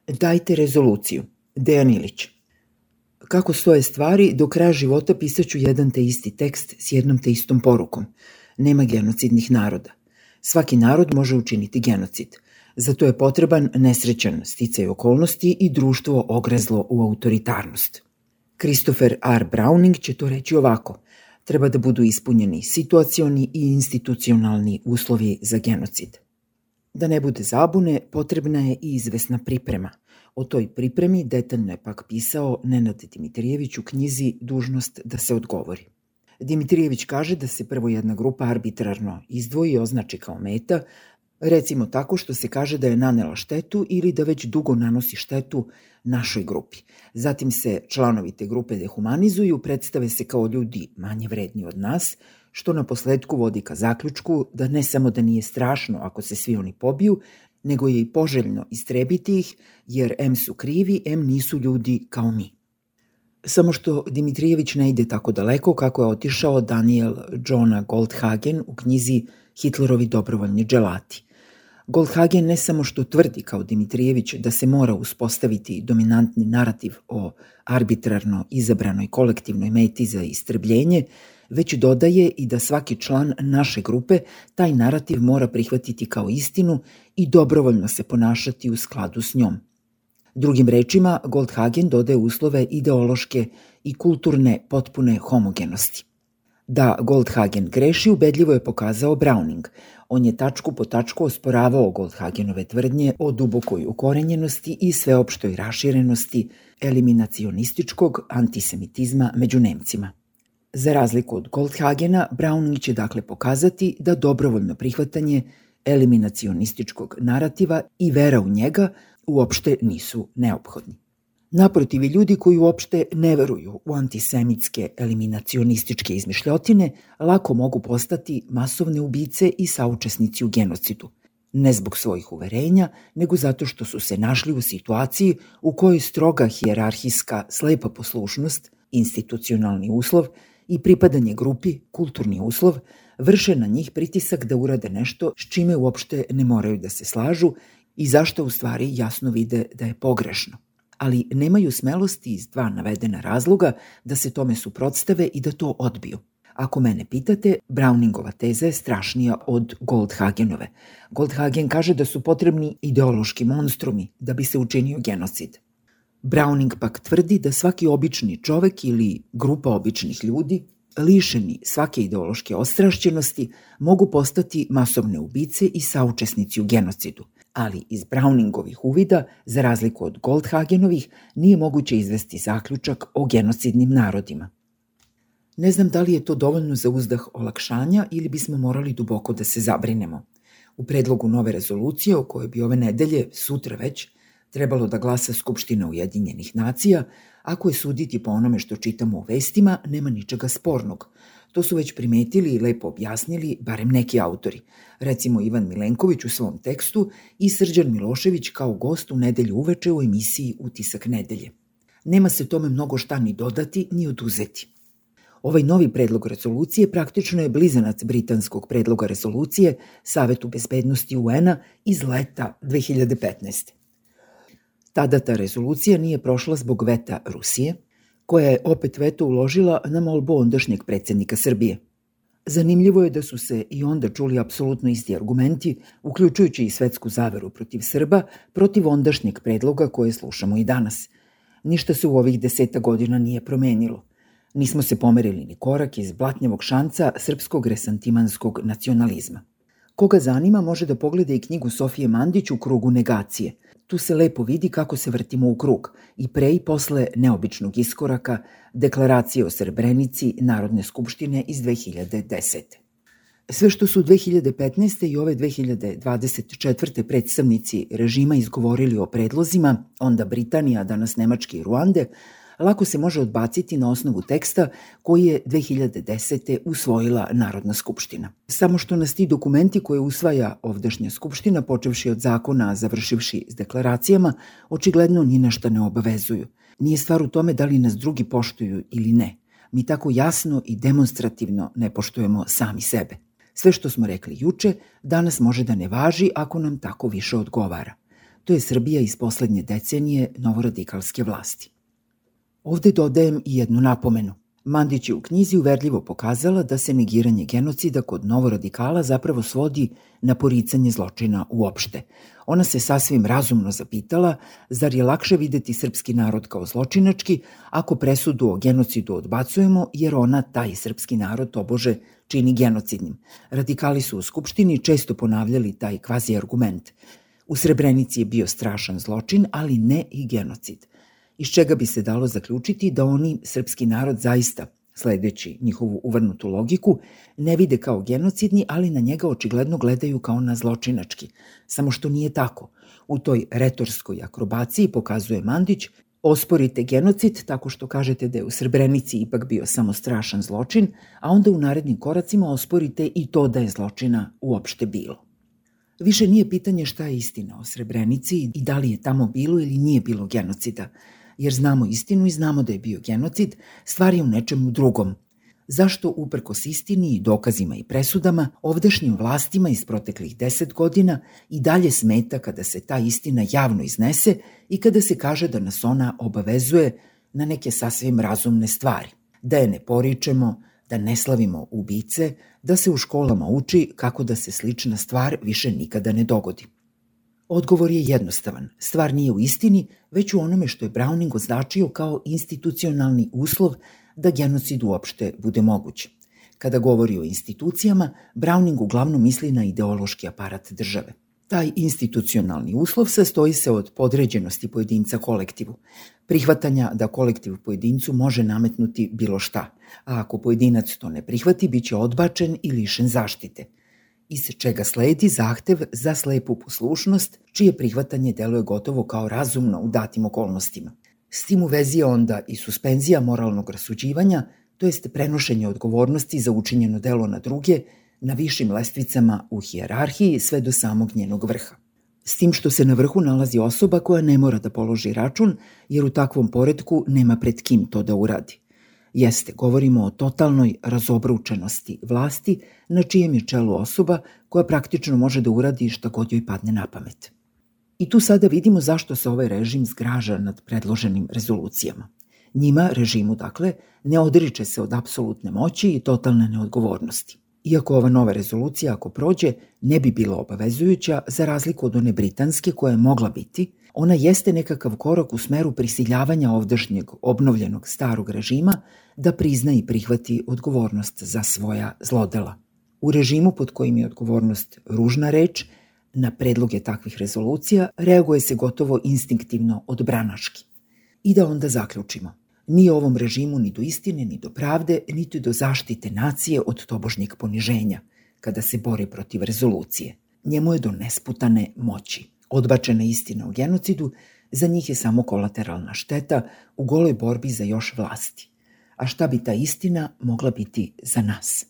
Dajte rezoluciju. Dejan Ilić. Kako stoje stvari, do kraja života pisaću jedan te isti tekst s jednom te istom porukom. Nema genocidnih naroda. Svaki narod može učiniti genocid. Zato je potreban nesrećan sticaj okolnosti i društvo ogrezlo u autoritarnost. Christopher R. Browning će to reći ovako. Treba da budu ispunjeni situacioni i institucionalni uslovi za genocid. Da ne bude zabune, potrebna je i izvesna priprema. O toj pripremi detaljno je pak pisao Nenad Dimitrijević u knjizi Dužnost da se odgovori. Dimitrijević kaže da se prvo jedna grupa arbitrarno izdvoji i označi kao meta, recimo tako što se kaže da je nanela štetu ili da već dugo nanosi štetu našoj grupi. Zatim se članovi te grupe dehumanizuju, predstave se kao ljudi manje vredni od nas, što na posledku vodi ka zaključku da ne samo da nije strašno ako se svi oni pobiju, nego je i poželjno istrebiti ih, jer em su krivi, em nisu ljudi kao mi. Samo što Dimitrijević ne ide tako daleko kako je otišao Daniel Johna Goldhagen u knjizi Hitlerovi dobrovoljni dželati. Goldhagen ne samo što tvrdi kao Dimitrijević da se mora uspostaviti dominantni narativ o arbitrarno izabranoj kolektivnoj meti za istrebljenje, već dodaje i da svaki član naše grupe taj narativ mora prihvatiti kao istinu i dobrovoljno se ponašati u skladu s njom. Drugim rečima, Goldhagen dodaje uslove ideološke i kulturne potpune homogenosti. Da Goldhagen greši, ubedljivo je pokazao Browning. On je tačku po tačku osporavao Goldhagenove tvrdnje o dubokoj ukorenjenosti i sveopštoj raširenosti eliminacionističkog antisemitizma među Nemcima. Za razliku od Goldhagena, Browning će dakle pokazati da dobrovoljno prihvatanje eliminacionističkog narativa i vera u njega uopšte nisu neophodni. Naprotiv, ljudi koji uopšte ne veruju u antisemitske eliminacionističke izmišljotine lako mogu postati masovne ubice i saučesnici u genocidu. Ne zbog svojih uverenja, nego zato što su se našli u situaciji u kojoj stroga hijerarhijska slepa poslušnost, institucionalni uslov i pripadanje grupi, kulturni uslov, vrše na njih pritisak da urade nešto s čime uopšte ne moraju da se slažu i zašto u stvari jasno vide da je pogrešno. Ali nemaju smelosti iz dva navedena razloga da se tome suprotstave i da to odbiju. Ako mene pitate, Browningova teza je strašnija od Goldhagenove. Goldhagen kaže da su potrebni ideološki monstrumi da bi se učinio genocid. Browning pak tvrdi da svaki obični čovek ili grupa običnih ljudi, lišeni svake ideološke ostrašćenosti, mogu postati masovne ubice i saučesnici u genocidu. Ali iz Browningovih uvida, za razliku od Goldhagenovih, nije moguće izvesti zaključak o genocidnim narodima. Ne znam da li je to dovoljno za uzdah olakšanja ili bismo morali duboko da se zabrinemo. U predlogu nove rezolucije, o kojoj bi ove nedelje, sutra već, trebalo da glasa Skupština Ujedinjenih nacija, ako je suditi po onome što čitamo u vestima, nema ničega spornog. To su već primetili i lepo objasnili barem neki autori, recimo Ivan Milenković u svom tekstu i Srđan Milošević kao gost u nedelju uveče u emisiji Utisak nedelje. Nema se tome mnogo šta ni dodati ni oduzeti. Ovaj novi predlog rezolucije praktično je blizanac britanskog predloga rezolucije Savetu bezbednosti UN-a iz leta 2015. Tada ta rezolucija nije prošla zbog veta Rusije, koja je opet veto uložila na molbu ondašnjeg predsjednika Srbije. Zanimljivo je da su se i onda čuli apsolutno isti argumenti, uključujući i svetsku zaveru protiv Srba, protiv ondašnjeg predloga koje slušamo i danas. Ništa se u ovih 10 godina nije promenilo. Nismo se pomerili ni korak iz blatnjavog šanca srpskog resantimanskog nacionalizma. Koga zanima može da pogleda i knjigu Sofije Mandić U krugu negacije. Tu se lepo vidi kako se vrtimo u krug i pre i posle neobičnog iskoraka Deklaracije o Srebrenici Narodne skupštine iz 2010. Sve što su 2015. i ove 2024. predstavnici režima izgovorili o predlozima, onda Britanija, danas Nemačke i Ruande, lako se može odbaciti na osnovu teksta koji je 2010. usvojila Narodna skupština. Samo što nas ti dokumenti koje usvaja ovdašnja skupština, počevši od zakona, a završivši s deklaracijama, očigledno ni nešto ne obavezuju. Nije stvar u tome da li nas drugi poštuju ili ne. Mi tako jasno i demonstrativno ne poštujemo sami sebe. Sve što smo rekli juče, danas može da ne važi ako nam tako više odgovara. to je Srbija iz poslednje decenije novoradikalske vlasti. Ovde dodajem i jednu napomenu. Mandić je u knjizi uverljivo pokazala da se negiranje genocida kod novoradikala zapravo svodi na poricanje zločina uopšte. Ona se sasvim razumno zapitala, zar je lakše videti srpski narod kao zločinački ako presudu o genocidu odbacujemo jer ona taj srpski narod tobože čini genocidnim. Radikali su u Skupštini često ponavljali taj kvazi argument. U Srebrenici je bio strašan zločin, ali ne i genocid. Iz čega bi se dalo zaključiti da oni srpski narod zaista, sledeći njihovu uvrnutu logiku, ne vide kao genocidni, ali na njega očigledno gledaju kao na zločinački. Samo što nije tako. U toj retorskoj akrobaciji, pokazuje Mandić, osporite genocid tako što kažete da je u Srebrenici ipak bio samo strašan zločin, a onda u narednim koracima osporite i to da je zločina uopšte bilo. Više nije pitanje šta je istina o Srebrenici i da li je tamo bilo ili nije bilo genocida, jer znamo istinu i znamo da je bio genocid, stvar je u nečemu drugom. Zašto uprkos istini i dokazima i presudama, ovdašnjim vlastima iz proteklih 10 godina i dalje smeta kada se ta istina javno iznese i kada se kaže da nas ona obavezuje na neke sasvim razumne stvari, da je ne poričemo, da ne slavimo ubice, da se u školama uči kako da se slična stvar više nikada ne dogodi. Odgovor je jednostavan. Stvar nije u istini, već u onome što je Browning označio kao institucionalni uslov da genocid uopšte bude moguć. Kada govori o institucijama, Browning uglavnom misli na ideološki aparat države. Taj institucionalni uslov sastoji se od podređenosti pojedinca kolektivu, prihvatanja da kolektiv pojedincu može nametnuti bilo šta, a ako pojedinac to ne prihvati, bit će odbačen i lišen zaštite, iz čega sledi zahtev za slepu poslušnost, čije prihvatanje deluje gotovo kao razumno u datim okolnostima. S tim u vezi je onda i suspenzija moralnog rasuđivanja, to jest prenošenje odgovornosti za učinjeno delo na druge, na višim lestvicama u hijerarhiji sve do samog njenog vrha. S tim što se na vrhu nalazi osoba koja ne mora da položi račun, jer u takvom poretku nema pred kim to da uradi. Jeste, govorimo o totalnoj razobručenosti vlasti, na čijem je čelu osoba koja praktično može da uradi šta god joj padne na pamet. I tu sada vidimo zašto se ovaj režim zgraža nad predloženim rezolucijama. Njima, režimu dakle, ne odriče se od apsolutne moći i totalne neodgovornosti. Iako ova nova rezolucija, ako prođe, ne bi bila obavezujuća, za razliku od one britanske koja je mogla biti, ona jeste nekakav korak u smeru prisiljavanja ovdašnjeg obnovljenog starog režima da prizna i prihvati odgovornost za svoja zlodela. U režimu pod kojim je odgovornost ružna reč, na predloge takvih rezolucija reaguje se gotovo instinktivno odbranaški. I da onda zaključimo. Nije ovom režimu ni do istine, ni do pravde, niti do zaštite nacije od tobožnjeg poniženja, kada se bori protiv rezolucije. Njemu je do nesputane moći. Odbačena istina o genocidu za njih je samo kolateralna šteta u goloj borbi za još vlasti. A šta bi ta istina mogla biti za nas?